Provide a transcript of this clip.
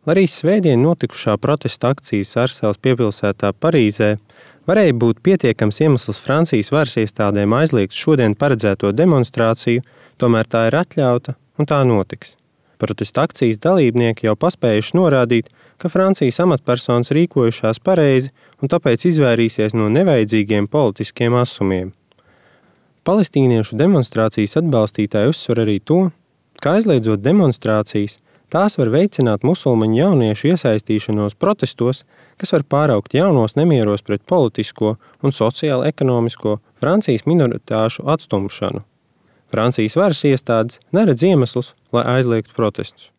lai arī svētdien notikušā protesta akcijas Arseles piepilsētā Parīzē varēja būt pietiekams iemesls Francijas varas iestādēm aizliegt šodien paredzēto demonstrāciju, tomēr tā ir atļauta un tā notiks. Protesta akcijas dalībnieki jau paspējuši norādīt, ka Francijas amatpersonas rīkojušās pareizi un tāpēc izvairīsies no nevajadzīgiem politiskiem asumiem. Palestīniešu demonstrācijas atbalstītāji uzsver arī to, ka aizliedzot demonstrācijas, tās var veicināt musulmaņu jauniešu iesaistīšanos protestos, kas var pāraukt jaunos nemieros pret politisko un sociālo-ekonomisko Francijas minoritāšu atstumšanu. Francijas varas iestādes neredz iemeslus, lai aizliegtu protestus.